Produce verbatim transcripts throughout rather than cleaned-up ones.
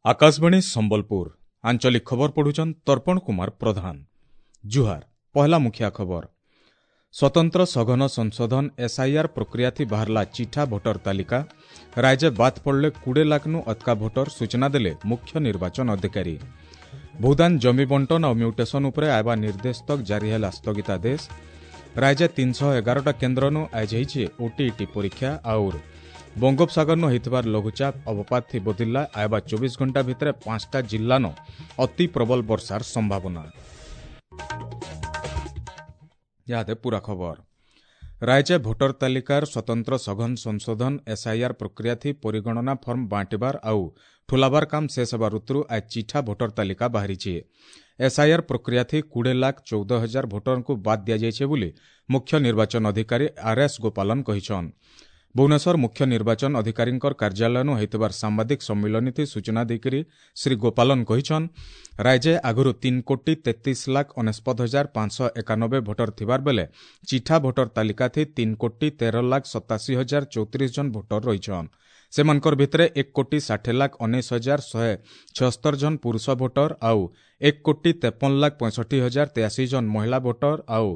ଆକାଶବାଣୀ ସମ୍ବଲପୁର ଆଞ୍ଚଳିକ ଖବର ପଢୁଛନ୍ ତର୍ପଣ କୁମାର ପ୍ରଧାନ। ଜୁହାର। ପହଲା ମୁଖିଆ ଖବର। ସ୍ୱତନ୍ତ୍ର ସଘନ ସଂଶୋଧନ ଏସ୍ଆଇଆର୍ ପ୍ରକ୍ରିୟାଥି ବାହାରିଲା ଚିଠା ଭୋଟର ତାଲିକା। ରାଜ୍ୟ ବାଦ୍ ପଡ଼ିଲେ କୁଡ଼େ ଲାଖ୍ନୁ ଅତକା ଭୋଟର, ସୂଚନା ଦେଲେ ମୁଖ୍ୟ ନିର୍ବାଚନ ଅଧିକାରୀ। ଭୂଦାନ ଜମି ବଣ୍ଟନ ଆଉ ମ୍ୟୁଟେସନ ଉପରେ ଆଇବା ନିର୍ଦ୍ଦେଶ ତକ୍ ଜାରି ହେଲା ସ୍ଥଗିତାଦେଶ। ରାଜ୍ୟ ତିନିଶହ ଏଗାରଟା କେନ୍ଦ୍ରନୁ ଆଇଜ ହେଇଛି ଓଟିଇଟି ପରୀକ୍ଷା। ଆଉର ବଙ୍ଗୋପସାଗରନୁ ହେଇଥିବାର ଲଘୁଚାପ ଅବପାତ ବଦିଲା, ଆଇବା ଚବିଶ ଘଣ୍ଟା ଭିତରେ ପାଞ୍ଚଟା ଜିଲ୍ଲାନ ଅତି ପ୍ରବଳ ବର୍ଷାର ସମ୍ଭାବନା। ଇହାଦେ ପୁରା ଖବର। ରାଜ୍ୟ ଭୋଟର ତାଲିକାର ସ୍ୱତନ୍ତ୍ର ସଘନ ସଂଶୋଧନ ଏସ୍ଆଇଆର୍ ପ୍ରକ୍ରିୟାଥି ପରିଗଣନା ଫର୍ମ ବାଣ୍ଟିବାର ଆଉ ଠୁଲାବାର କାମ ଶେଷ ହେବା ଋତୁରୁ ଆଜ ଚିଠା ଭୋଟର ତାଲିକା ବାହାରିଛି। ଏସ୍ଆଇଆର୍ ପ୍ରକ୍ରିୟାଥି କୁଡ଼େ ଲାଖ ଚଉଦ ହଜାର ଭୋଟରଙ୍କୁ ବାଦ୍ ଦିଆଯାଇଛି ବୋଲି ମୁଖ୍ୟ ନିର୍ବାଚନ ଅଧିକାରୀ ଆର୍ ଏସ୍ ଗୋପାଲନ କହିଛନ୍। ଭୁବନେଶ୍ୱର ମୁଖ୍ୟ ନିର୍ବାଚନ ଅଧିକାରୀଙ୍କର କାର୍ଯ୍ୟାଳୟନୁ ହୋଇଥିବାର ସାମ୍ବାଦିକ ସମ୍ମିଳନୀଥି ସୂଚନା ଦେଇକରି ଶ୍ରୀ ଗୋପାଲନ କହିଛନ୍, ରାଜ୍ୟ ଆଗରୁ ତିନି କୋଟି ତେତିଶ ଲାଖ ଅନେଶତ ହଜାର ପାଞ୍ଚଶହ ଏକାନବେ ଭୋଟର ଥିବାର ବେଲେ ଚିଠା ଭୋଟର ତାଲିକାଥି ତିନି କୋଟି ତେର ଲାଖ ସତାଅଶୀ ହଜାର ଚଉତିରିଶ ଜଣ ଭୋଟର ରହିଛନ୍। ସେମାନଙ୍କର ଭିତରେ ଏକ କୋଟି ଷାଠିଏ ଲାଖ ଉଣେଇଶ ହଜାର ଶହେ ଛଅସ୍ତର ଜଣ ପୁରୁଷ ଭୋଟର ଆଉ ଏକ କୋଟି ତେପନ ଲାଖ ପଞ୍ଚଷଠି ହଜାର ତେୟାଅଶୀ ଜଣ ମହିଳା ଭୋଟର ଆଉ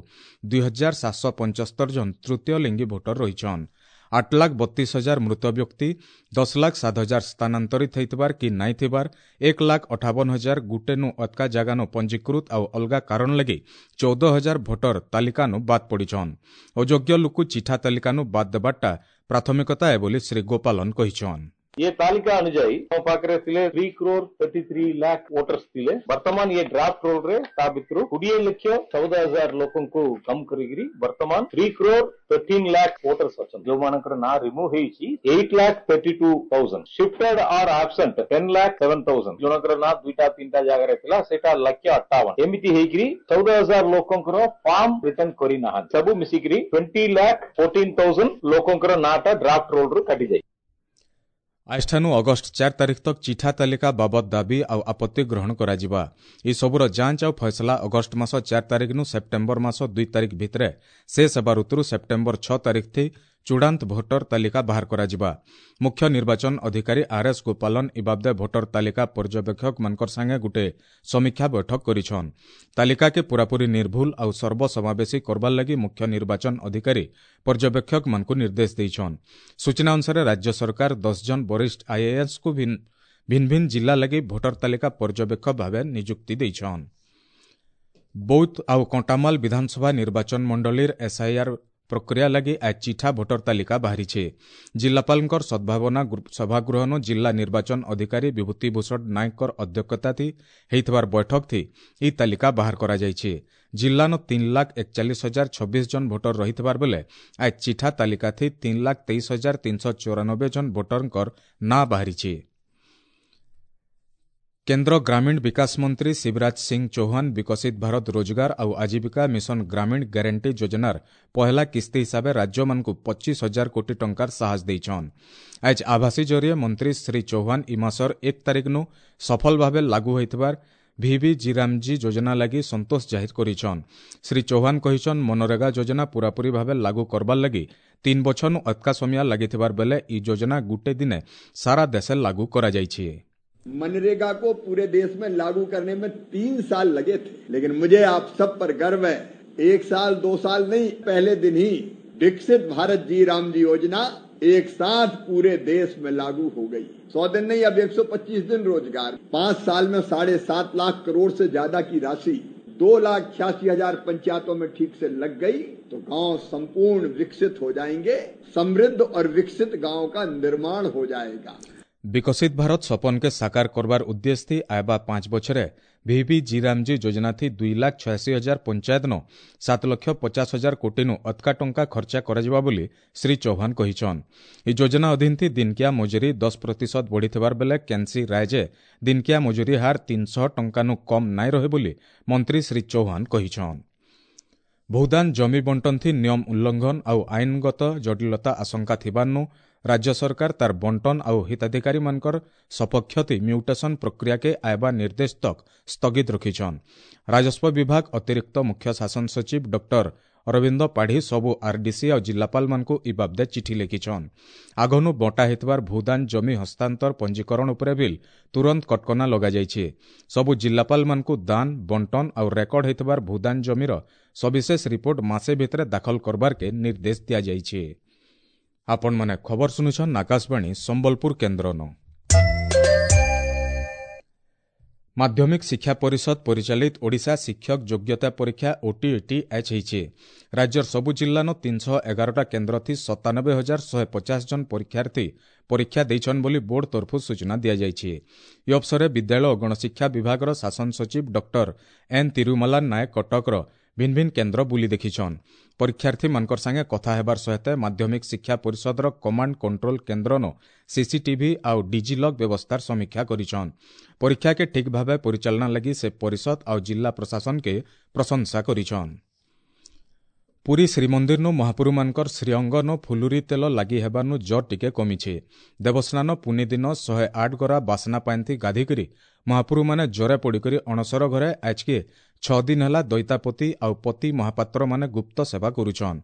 ଦୁଇ ହଜାର ସାତଶହ ପଞ୍ଚସ୍ତର ଜଣ ତୃତୀୟ ଲିଙ୍ଗୀ ଭୋଟର ରହିଛନ୍। ଆଠ ଲାଖ ବତିଶ ହଜାର ମୃତ ବ୍ୟକ୍ତି, ଦଶ ଲାଖ ସାତ ହଜାର ସ୍ଥାନାନ୍ତରିତ ହେଇଥିବାର କି ନାଇଁ ଥିବାର, ଏକ ଲାଖ ଅଠାବନ ହଜାର ଗୁଟେନୁ ଅତକା ଜାଗାନୁ ପଞ୍ଜୀକୃତ ଆଉ ଅଲଗା କାରଣ ଲାଗି ଚଉଦ ହଜାର ଭୋଟର ତାଲିକାନୁ ବାଦ୍ ପଡ଼ିଛନ୍। ଅଯୋଗ୍ୟ ଲୋକ ଚିଠା ତାଲିକାନୁ ବାଦ୍ ଦେବାରଟା ପ୍ରାଥମିକତା ଏ ବୋଲି ଶ୍ରୀ ଗୋପାଲନ କହିଛନ୍। ଏ ତାଲିକା ଅନୁଯାୟୀ ମୋ ପାଖରେ ଥିଲେ three crore thirty three lakh voters ଥିଲେ। ବର୍ତ୍ତମାନ ଏ ଡ୍ରାଫ୍ଟ ରୋଲରେ ତା ଭିତରୁ କୋଡ଼ିଏ ଲକ୍ଷ ଚଉଦ ହଜାର ଲୋକଙ୍କୁ କମ କରିକିରି ବର୍ତ୍ତମାନ three crore thirteen lakh voters ଅଛନ୍ତି। ଯୋଉମାନଙ୍କର ନାଁ ରିମୁଭ୍ ହେଇଛି eight lakh thirty two thousand, shifted or absent ten lakh seven thousand, ଜଣଙ୍କର ନାଁ ଦୁଇଟା ତିନିଟା ଜାଗାରେ ଥିଲା ସେଇଟା ଲକ୍ଷ ଅଠାବନ, ଏମିତି ହେଇକିରି ଚଉଦ ହଜାର ଲୋକଙ୍କର ଫର୍ମ ରିଟର୍ନ କରିନାହାନ୍ତି। ସବୁ ମିଶିକିରି ଟ୍ୱେଣ୍ଟି ଲାଖ ଫୋର୍ଟିନ୍ ଥାଉଜେଣ୍ଡ ଲୋକଙ୍କର ନାଁଟା ଡ୍ରାଫ୍ଟ ରୋଲରୁ କାଟିଯାଇଛି। ଆଜିଠାନୁ ଅଗଷ୍ଟ ଚାରି ତାରିଖ ତକ୍ ଚିଠା ତାଲିକା ବାବଦ ଦାବି ଆଉ ଆପତ୍ତି ଗ୍ରହଣ କରାଯିବା। ଏସବୁର ଯାଞ୍ଚ ଆଉ ଫଇସଲା ଅଗଷ୍ଟ ମାସ ଚାରି ତାରିଖନୁ ସେପ୍ଟେମ୍ବର ମାସ ଦୁଇ ତାରିଖ ଭିତରେ ଶେଷ ହେବା ଋତୁରୁ ସେପ୍ଟେମ୍ବର ଛଅ ତାରିଖ ଥି ଚୂଡ଼ାନ୍ତ ଭୋଟର ତାଲିକା ବାହାର କରାଯିବା। ମୁଖ୍ୟ ନିର୍ବାଚନ ଅଧିକାରୀ ଆର୍ ଏସ୍ ଗୋପାଲନ ଇ ବାବଦେ ଭୋଟର ତାଲିକା ପର୍ଯ୍ୟବେକ୍ଷକମାନଙ୍କର ସାଙ୍ଗେ ଗୁଟେ ସମୀକ୍ଷା ବୈଠକ କରିଛନ୍। ତାଲିକାକେ ପୂରାପୂରି ନିର୍ଭୁଲ ଆଉ ସର୍ବସମାବେଶୀ କରବାର୍ ଲାଗି ମୁଖ୍ୟ ନିର୍ବାଚନ ଅଧିକାରୀ ପର୍ଯ୍ୟବେକ୍ଷକମାନଙ୍କୁ ନିର୍ଦ୍ଦେଶ ଦେଇଛନ୍। ସୂଚନା ଅନୁସାରେ ରାଜ୍ୟ ସରକାର ଦଶ ଜଣ ବରିଷ୍ଠ ଆଇଏଏସ୍କୁ ଭିନ୍ନ ଭିନ୍ନ ଜିଲ୍ଲା ଲାଗି ଭୋଟର ତାଲିକା ପର୍ଯ୍ୟବେକ୍ଷକ ଭାବେ ନିଯୁକ୍ତି ଦେଇଛନ୍। ବୌଦ୍ଧ ଆଉ କଣ୍ଟାମାଲ ବିଧାନସଭା ନିର୍ବାଚନ ମଣ୍ଡଳୀର ଏସ୍ଆଇଆର୍ ପ୍ରକ୍ରିୟା ଲାଗି ଆଜ ଚିଠା ଭୋଟର ତାଲିକା ବାହାରିଛି। ଜିଲ୍ଲାପାଳଙ୍କର ସଦ୍ଭାବନା ସଭାଗୃହନୁ ଜିଲ୍ଲା ନିର୍ବାଚନ ଅଧିକାରୀ ବିଭୂତି ଭୂଷଣ ନାୟକଙ୍କର ଅଧ୍ୟକ୍ଷତାଥି ହେଇଥିବାର ବୈଠକଥି ଇ ତାଲିକା ବାହାର କରାଯାଇଛି। ଜିଲ୍ଲାନ ତିନି ଲାଖ ଏକଚାଳିଶ ହଜାର ଛବିଶ ଜଣ ଭୋଟର ରହିଥିବାର ବେଲେ ଆଜ ଚିଠା ତାଲିକାଥି ତିନି ଲାଖ ତେଇଶ ହଜାର ତିନିଶହ ଚଉରାନବେ ଜଣ ଭୋଟରଙ୍କର ନାଁ ବାହାରିଛି। କେନ୍ଦ୍ର ଗ୍ରାମୀଣ ବିକାଶ ମନ୍ତ୍ରୀ ଶିବରାଜ ସିଂ ଚୌହାନ ବିକଶିତ ଭାରତ ରୋଜଗାର ଆଉ ଆଜୀବିକା ମିଶନ ଗ୍ରାମୀଣ ଗ୍ୟାରେଣ୍ଟି ଯୋଜନାର ପହଲା କିସ୍ତି ହିସାବେ ରାଜ୍ୟମାନଙ୍କୁ ପଚିଶ ହଜାର କୋଟି ଟଙ୍କାର ସାହାଯ୍ୟ ଦେଇଛନ୍। ଆଜ ଆଭାସୀ ଜରିଏ ମନ୍ତ୍ରୀ ଶ୍ରୀ ଚୌହାନ ଇ ମାସର ଏକ ତାରିଖନୁ ସଫଳ ଭାବେ ଲାଗୁ ହୋଇଥିବାର ଭିଭି ଜିରାମଜୀ ଯୋଜନା ଲାଗି ସନ୍ତୋଷ ଜାହିର କରିଛନ୍। ଶ୍ରୀ ଚୌହାନ କହିଛନ୍, ମନରେଗା ଯୋଜନା ପୂରାପୂରି ଭାବେ ଲାଗୁ କରବାର୍ ଲାଗି ତିନ୍ ବଛରନୁ ଅତକା ସମିଆ ଲାଗିଥିବାର ବେଲେ ଇ ଯୋଜନା ଗୁଟେ ଦିନେ ସାରା ଦେଶେ ଲାଗୁ କରାଯାଇଛି। मनरेगा को पूरे देश में लागू करने में तीन साल लगे थे, लेकिन मुझे आप सब पर गर्व है, एक साल दो साल नहीं, पहले दिन ही विकसित भारत जी राम जी योजना एक साथ पूरे देश में लागू हो गई। सौ दिन नहीं, अब एक सौ पच्चीस दिन रोजगार। पांच साल में साढ़े सात लाख करोड़ से ज्यादा की राशि दो लाख छियासी हजार पंचायतों में ठीक से लग गई तो गांव संपूर्ण विकसित हो जाएंगे, समृद्ध और विकसित गांव का निर्माण हो जाएगा। विकसित भारत सपन के साकार करवार उद्देश्य थी आयबा पांच बछरे ଭିଭି ଜିରାମଜୀ ଯୋଜନାଥି ଦୁଇ ଲାଖ ଛୟାଅଶୀ ହଜାର ପଞ୍ଚାୟତନୁ ସାତ ଲକ୍ଷ ପଚାଶ ହଜାର କୋଟିନୁ ଅତକା ଟଙ୍କା ଖର୍ଚ୍ଚା କରାଯିବା ବୋଲି ଶ୍ରୀ ଚୌହାନ କହିଛନ୍। ଏହି ଯୋଜନା ଅଧୀନଥି ଦିନକିଆ ମଜୁରୀ ଦଶ ପ୍ରତିଶତ ବଢ଼ିଥିବାର ବେଲେ କେନ୍ସି ରାଜ୍ୟେ ଦିନକିଆ ମଜୁରୀ ହାର ତିନିଶହ ଟଙ୍କାନୁ କମ୍ ନାଇଁ ରହେ ବୋଲି ମନ୍ତ୍ରୀ ଶ୍ରୀ ଚୌହାନ କହିଛନ୍। ଭୂଦାନ ଜମି ବଣ୍ଟନଥି ନିୟମ ଉଲ୍ଲଂଘନ ଆଉ ଆଇନଗତ ଜଟିଳତା ଆଶଙ୍କା ଥିବାର୍ନୁ ରାଜ୍ୟ ସରକାର ତାର ବଣ୍ଟନ ଆଉ ହିତାଧିକାରୀମାନଙ୍କର ସପକ୍ଷତି ମ୍ୟୁଟେସନ ପ୍ରକ୍ରିୟାକେ ଆଇବା ନିର୍ଦ୍ଦେଶ ତକ୍ ସ୍ଥଗିତ ରଖିଛନ୍। ରାଜସ୍ୱ ବିଭାଗ ଅତିରିକ୍ତ ମୁଖ୍ୟ ଶାସନ ସଚିବ ଡକ୍ଟର ଅରବିନ୍ଦ ପାଢ଼ୀ ସବୁ ଆର୍ଡିସି ଆଉ ଜିଲ୍ଲାପାଳମାନଙ୍କୁ ଇ ବାବଦେ ଚିଠି ଲେଖିଛନ୍। ଆଗନୁ ବଣ୍ଟା ହେଇଥିବାର ଭୂଦାନ ଜମି ହସ୍ତାନ୍ତର ପଞ୍ଜୀକରଣ ଉପରେ ବିଲ୍ ତୁରନ୍ତ କଟକଣା ଲଗାଯାଇଛି। ସବୁ ଜିଲ୍ଲାପାଳମାନଙ୍କୁ ଦାନ, ବଣ୍ଟନ ଆଉ ରେକର୍ଡ ହେଇଥିବାର ଭୂଦାନ ଜମିର ସବିଶେଷ ରିପୋର୍ଟ ମାସେ ଭିତରେ ଦାଖଲ କରବାର୍କେ ନିର୍ଦ୍ଦେଶ ଦିଆଯାଇଛି। ଆପଣମାନେ ଖବର ଶୁଣୁଛନ୍ ଆକାଶବାଣୀ ସମ୍ବଲପୁର କେନ୍ଦ୍ରନ। ମାଧ୍ୟମିକ ଶିକ୍ଷା ପରିଷଦ ପରିଚାଳିତ ଓଡ଼ିଶା ଶିକ୍ଷକ ଯୋଗ୍ୟତା ପରୀକ୍ଷା ଓଟିଇଟି ଆଜ୍ ହେଇଛି। ରାଜ୍ୟର ସବୁ ଜିଲ୍ଲାନ ତିନିଶହ ଏଗାରଟା କେନ୍ଦ୍ରଥି ସତାନବେ ହଜାର ଶହେ ପଚାଶ ଜଣ ପରୀକ୍ଷାର୍ଥୀ ପରୀକ୍ଷା ଦେଇଛନ୍ ବୋଲି ବୋର୍ଡ ତରଫରୁ ସୂଚନା ଦିଆଯାଇଛି। ଏ ଅବସରରେ ବିଦ୍ୟାଳୟ ଓ ଗଣଶିକ୍ଷା ବିଭାଗର ଶାସନ ସଚିବ ଡକ୍ଟର ଏନ୍ ତିରୁମଲା ନାୟକ କଟକର ଭିନ୍ ଭିନ୍ କେନ୍ଦ୍ର ବୁଲି ଦେଖିଛନ୍। ପରୀକ୍ଷାର୍ଥୀମାନଙ୍କର ସାଙ୍ଗେ କଥା ହେବାର ସହିତ ମାଧ୍ୟମିକ ଶିକ୍ଷା ପରିଷଦର କମାଣ୍ଡ କଣ୍ଟ୍ରୋଲ କେନ୍ଦ୍ରନ ସିସିଟିଭି ଆଉ ଡିଜିଲକ୍ ବ୍ୟବସ୍ଥାର ସମୀକ୍ଷା କରିଛନ୍। ପରୀକ୍ଷାକେ ଠିକ୍ ଭାବେ ପରିଚାଳନା ଲାଗି ସେ ପରିଷଦ ଆଉ ଜିଲ୍ଲା ପ୍ରଶାସନକେ ପ୍ରଶଂସା କରିଛନ୍। ପୁରୀ ଶ୍ରୀମନ୍ଦିରନୁ ମହାପୁରୁମାନଙ୍କର ଶ୍ରୀଅଙ୍ଗନ ଫୁଲୁରି ତେଲ ଲାଗି ହେବାନୁ ଜ୍ୱର ଟିକେ କମିছে। ଦେବସ୍ନାନ ପୁନି ଦିନ ଶହେ ଆଠ ଗରା ବାସନା ପାଇନ୍ତି ଗାଧିକରି ମହାପୁରୁମାନେ ଜ୍ୱରେ ପଡ଼ିକରି ଅଣସର ଘରେ ଆଜକେ ଛଅ ଦିନ ହେଲା ଦୈତାପତି ଆଉ ପତି ମହାପାତ୍ରମାନେ ଗୁପ୍ତ ସେବା କରୁଛନ୍।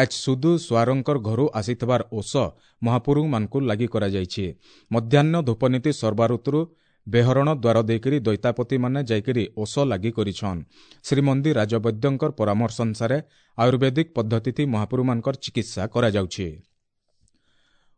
ଆଜ୍ ସୁଦୁ ସୁଆରଙ୍କର ଘରୁ ଆସିଥିବାର ଓଷ ମହାପୁରୁମାନଙ୍କୁ ଲାଗି କରାଯାଇଛି। ମଧ୍ୟାହ୍ନ ଧୂପନୀତି ସର୍ବାଋତୁରୁ ବେହରଣ ଦ୍ୱାର ଦେଇକରି ଦୈତାପତିମାନେ ଯାଇକରି ଓଷ ଲାଗି କରିଛନ୍। ଶ୍ରୀମନ୍ଦିର ରାଜବୈଦ୍ୟଙ୍କର ପରାମର୍ଶ ଅନୁସାରେ ଆୟୁର୍ବେଦିକ ପଦ୍ଧତିଥି ମହାପୁରୁମାନଙ୍କର ଚିକିତ୍ସା କରାଯାଉଛି।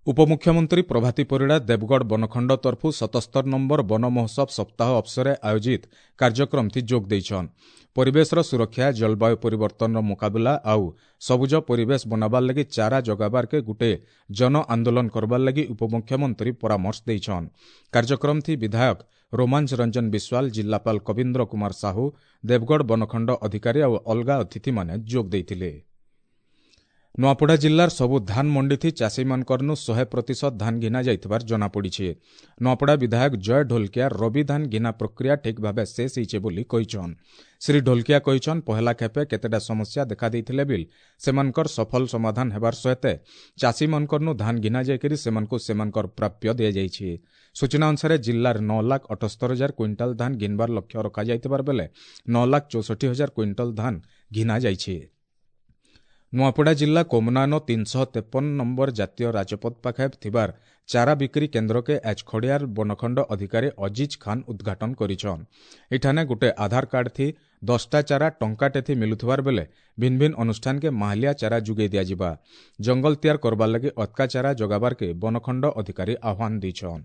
ଉପମୁଖ୍ୟମନ୍ତ୍ରୀ ପ୍ରଭାତୀ ପରିଡ଼ା ଦେବଗଡ଼ ବନଖଣ୍ଡ ତରଫୁ ସତସ୍ତର ନମ୍ବର ବନ ମହୋତ୍ସବ ସପ୍ତାହ ଅବସରରେ ଆୟୋଜିତ କାର୍ଯ୍ୟକ୍ରମଥି ଯୋଗ ଦେଇଛନ୍। ପରିବେଶର ସୁରକ୍ଷା, ଜଳବାୟୁ ପରିବର୍ତ୍ତନର ମୁକାବିଲା ଆଉ ସବୁଜ ପରିବେଶ ବନାବାର ଲାଗି ଚାରା ଜଗାବାରକେ ଗୁଟେ ଜନ ଆନ୍ଦୋଳନ କରବାର ଲାଗି ଉପମୁଖ୍ୟମନ୍ତ୍ରୀ ପରାମର୍ଶ ଦେଇଛନ୍। କାର୍ଯ୍ୟକ୍ରମଥି ବିଧାୟକ ରୋମାଞ୍ଚ ରଞ୍ଜନ ବିଶ୍ୱାଳ, ଜିଲ୍ଲାପାଳ କବୀନ୍ଦ୍ର କୁମାର ସାହୁ, ଦେବଗଡ଼ ବନଖଣ୍ଡ ଅଧିକାରୀ ଆଉ ଅଲଗା ଅତିଥିମାନେ ଯୋଗ ଦେଇଥିଲେ। ନୂଆପଡ଼ା ଜିଲ୍ଲାର ସବୁ ଧାନ ମଣ୍ଡିଥି ଚାଷୀମାନଙ୍କରନୁ ଶହେ ପ୍ରତିଶତ ଧାନ ଘିନା ଯାଇଥିବାର ଜଣାପଡ଼ିଛି। ନୂଆପଡ଼ା ବିଧାୟକ ଜୟ ଢୋଲକିଆ ରବି ଧାନ ଘିନା ପ୍ରକ୍ରିୟା ଠିକ୍ ଭାବେ ଶେଷ ହେଇছে ବୋଲି କହିଛନ୍। ଶ୍ରୀ ଢୋଲକିଆ କହିଛନ୍ ପହେଲା ଖେପେ କେତେଟା ସମସ୍ୟା ଦେଖାଦେଇଥିଲେ ବିଲ୍ ସେମାନଙ୍କର ସଫଳ ସମାଧାନ ହେବାର ସହିତ ଚାଷୀମାନଙ୍କରନୁ ଧାନ ଘିନା ଯାଇକରି ସେମାନଙ୍କୁ ସେମାନଙ୍କର ପ୍ରାପ୍ୟ ଦିଆଯାଇଛି। ସୂଚନା ଅନୁସାରେ ଜିଲ୍ଲାର ନଅ ଲାଖ ଅଠସ୍ତର ହଜାର କୁଇଣ୍ଟାଲ ଧାନ ଘିନବାର ଲକ୍ଷ୍ୟ ରଖାଯାଇଥିବାର ବେଲେ ନଅ ଲାଖ ଚଉଷଠି ହଜାର କୁଇଣ୍ଟାଲ ଧାନ ଘିନା ଯାଇଛି। ନୂଆପଡ଼ା ଜିଲ୍ଲା କୋମନାନ ତିନିଶହ ତେପନ ନମ୍ବର ଜାତୀୟ ରାଜପଥ ପାଖେ ଥିବାର ଚାରା ବିକ୍ରି କେନ୍ଦ୍ରକେ ଆଜ୍ ଖଡ଼ିଆର ବନଖଣ୍ଡ ଅଧିକାରୀ ଅଜିଜ ଖାନ୍ ଉଦ୍ଘାଟନ କରିଛନ୍। ଏଠାନେ ଗୋଟେ ଆଧାର କାର୍ଡ ଥି ଦଶଟା ଚାରା ଟଙ୍କାଟେ ଥି ମିଲୁଥିବାର ବେଲେ ଭିନ୍ ଭିନ୍ ଅନୁଷ୍ଠାନକେ ମାହାଲିଆ ଚାରା ଯୋଗାଇ ଦିଆଯିବା। ଜଙ୍ଗଲ ତିଆର କରବାର ଲାଗି ଅତକା ଚାରା ଯୋଗାବାରକେ ବନଖଣ୍ଡ ଅଧିକାରୀ ଆହ୍ୱାନ ଦେଇଛନ୍।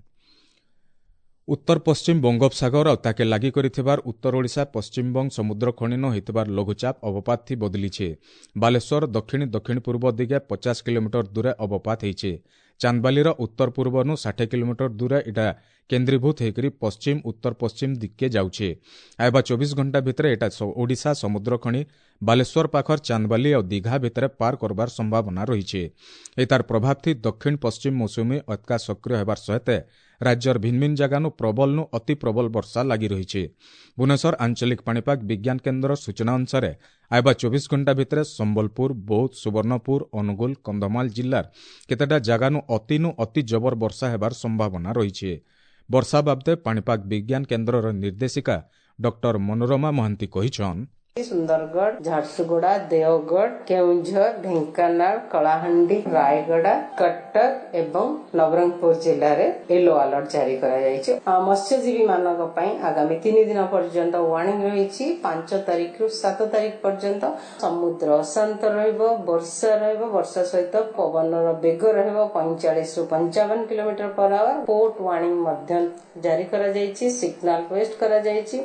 ଉତ୍ତର ପଶ୍ଚିମ ବଙ୍ଗୋପସାଗର ଆଉ ତାକେ ଲାଗି କରିଥିବାର ଉତ୍ତର ଓଡ଼ିଶା ପଶ୍ଚିମବଙ୍ଗ ସମୁଦ୍ର ଖଣିନ ହୋଇଥିବାର ଲଘୁଚାପ ଅବପାତ ଥି ବଦଲିছে। ବାଲେଶ୍ୱର ଦକ୍ଷିଣ ଦକ୍ଷିଣ ପୂର୍ବ ଦିଗେ ପଚାଶ କିଲୋମିଟର ଦୂରେ ଅବପାତ ହେଇছে। ଚାନ୍ଦବାଲିର ଉତ୍ତର ପୂର୍ବନୁ ଷାଠିଏ କିଲୋମିଟର ଦୂରେ ଏଟା କେନ୍ଦ୍ରୀଭୂତ ହେଇକରି ପଶ୍ଚିମ ଉତ୍ତର ପଶ୍ଚିମ ଦିଗକେ ଯାଉଛେ। ଆଇବା ଚବିଶ ଘଣ୍ଟା ଭିତରେ ଏଟା ଓଡ଼ିଶା ସମୁଦ୍ର ଖଣି ବାଲେଶ୍ୱର ପାଖର ଚାନ୍ଦବାଲି ଆଉ ଦୀଘା ଭିତରେ ପାର କରବାର ସମ୍ଭାବନା ରହିছে। ଏତାର ପ୍ରଭାବ ଥି ଦକ୍ଷିଣ ପଶ୍ଚିମ ମୌସୁମୀ ଅତକା ସକ୍ରିୟ ହେବାର ସହିତ ରାଜ୍ୟର ଭିନ୍ ଭିନ୍ ଜାଗାନୁ ପ୍ରବଳନୁ ଅତି ପ୍ରବଳ ବର୍ଷା ଲାଗି ରହିଛି। ଭୁବନେଶ୍ୱର ଆଞ୍ଚଳିକ ପାଣିପାଗ ବିଜ୍ଞାନ କେନ୍ଦ୍ର ସୂଚନା ଅନୁସାରେ ଆଇବା ଚବିଶ ଘଣ୍ଟା ଭିତରେ ସମ୍ବଲପୁର, ବୌଦ୍ଧ, ସୁବର୍ଣ୍ଣପୁର, ଅନୁଗୁଳ, କନ୍ଧମାଳ ଜିଲ୍ଲାର କେତେଟା ଜାଗାନୁ ଅତିନୁ ଅତି ଜବର ବର୍ଷା ହେବାର ସମ୍ଭାବନା ରହିଛି। ବର୍ଷା ବାବଦେ ପାଣିପାଗ ବିଜ୍ଞାନ କେନ୍ଦ୍ରର ନିର୍ଦ୍ଦେଶିକା ଡକ୍ଟର ମନୋରମା ମହାନ୍ତି କହିଛନ୍, ସୁନ୍ଦରଗଡ଼, ଝାରସୁଗୁଡ଼ା, ଦେଓଗଡ଼, କେଉଁଝର, ଢେଙ୍କାନାଳ, କଳାହାଣ୍ଡି, ରାୟଗଡ଼ା, କଟକ ଏବଂ ନବରଙ୍ଗପୁର ଜିଲ୍ଲାରେ ୟେଲୋ ଆଲର୍ଟ ଜାରି କରାଯାଇଛି। ମତ୍ସ୍ୟଜୀବୀ ମାନଙ୍କ ପାଇଁ ଆଗାମୀ ତିନି ଦିନ ପର୍ଯ୍ୟନ୍ତ ୱାର୍ଣ୍ଣିଂ ରହିଛି। ପାଞ୍ଚ ତାରିଖରୁ ସାତ ତାରିଖ ପର୍ଯ୍ୟନ୍ତ ସମୁଦ୍ର ଅଶାନ୍ତ ରହିବ, ବର୍ଷା ରହିବ, ବର୍ଷା ସହିତ ପବନର ବେଗ ରହିବ ପଇଁଚାଳିଶରୁ ପଞ୍ଚାବନ kilometre per hour. Port warning ମଧ୍ୟ ଜାରି କରାଯାଇଛି, ସିଗ୍ନାଲ ୱେଷ୍ଟ କରାଯାଇଛି।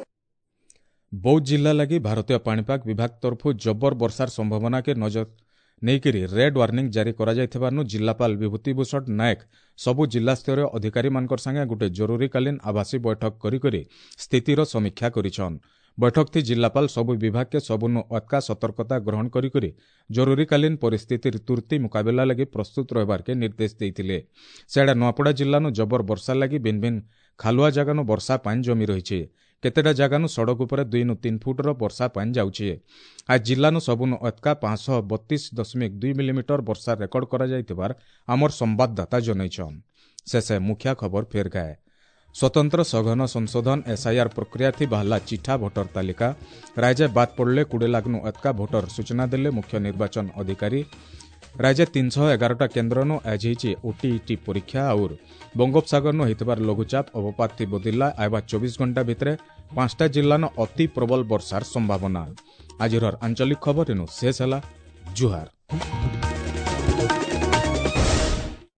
ବୌଦ୍ଧ ଜିଲ୍ଲା ଲାଗି ଭାରତୀୟ ପାଣିପାଗ ବିଭାଗ ତରଫରୁ ଜବର ବର୍ଷାର ସମ୍ଭାବନାକେ ନଜର ନେଇକରି ରେଡ୍ ୱାର୍ଣ୍ଣିଂ ଜାରି କରାଯାଇଥିବାରୁ ଜିଲ୍ଲାପାଳ ବିଭୂତିଭୂଷଣ ନାୟକ ସବୁ ଜିଲ୍ଲାସ୍ତରୀୟ ଅଧିକାରୀମାନଙ୍କର ସାଙ୍ଗେ ଗୋଟେ ଜରୁରୀକାଳୀନ ଆଭାସୀ ବୈଠକ କରିକରି ସ୍ଥିତିର ସମୀକ୍ଷା କରିଛନ୍। ବୈଠକଥି ଜିଲ୍ଲାପାଳ ସବୁ ବିଭାଗକେ ସବୁନୁ ଅତକା ସତର୍କତା ଗ୍ରହଣ କରିକରି ଜରୁରୀକାଳୀନ ପରିସ୍ଥିତିର ତୁର୍ତ୍ତି ମୁକାବିଲା ଲାଗି ପ୍ରସ୍ତୁତ ରହିବାର୍କେ ନିର୍ଦ୍ଦେଶ ଦେଇଥିଲେ। ସେଆଡ଼େ ନୂଆପଡ଼ା ଜିଲ୍ଲାନୁ ଜବର ବର୍ଷା ଲାଗି ଭିନ୍ ଭିନ୍ ଖାଲୁଆ ଜାଗାନୁ ବର୍ଷା ପାଣି ଜମି ରହିଛି। କେତେଟା ଜାଗାନୁ ସଡ଼କ ଉପରେ ଦୁଇନୁ ତିନି ଫୁଟର ବର୍ଷା ପାଣି ଯାଉଛି। ଆজ ଜିଲ୍ଲାନୁ ସବୁନୁ ଅତକା ପାଞ୍ଚଶହ ବତିଶ ଦଶମିକ ଦୁଇ ମିଲିମିଟର ବର୍ଷା ରେକର୍ଡ କରାଯାଇଥିବାର ଆମର ସମ୍ବାଦଦାତା ଜଣାଇଛନ୍। ଶେଷେ ମୁଖ୍ୟ ଖବର ଫେର ଗାଏ। ସ୍ୱତନ୍ତ୍ର ସଘନ ସଂଶୋଧନ ଏସ୍ଆଇଆର୍ ପ୍ରକ୍ରିୟା ଥି ବାହାରିଲା ଚିଠା ଭୋଟର ତାଲିକା। ରାଜ୍ୟ ବାଦ୍ ପଡ଼ିଲେ କୋଡ଼ିଏ ଲାଖ୍ନୁ ଅତକା ଭୋଟର, ସୂଚନା ଦେଲେ ମୁଖ୍ୟ ନିର୍ବାଚନ ଅଧିକାରୀ। ରାଜ୍ୟ ତିନିଶହ ଏଗାରଟା କେନ୍ଦ୍ରନୁ ଆଜି ହେଇଛି ଓଟିଇଟି ପରୀକ୍ଷା। ଆଉର ବଙ୍ଗୋପସାଗରନୁ ହେଇଥିବାର ଲଘୁଚାପ ଅବପାତ ଥି ବଦିଲା, ଆଇବା ଚବିଶ ଘଣ୍ଟା ଭିତରେ ପାଞ୍ଚଟା ଜିଲ୍ଲାନ ଅତି ପ୍ରବଳ ବର୍ଷାର ସମ୍ଭାବନା। ଆଜିର ଆଞ୍ଚଳିକ ଖବର ଇନୁ ଶେଷ ହେଲା। ଜୁହାର।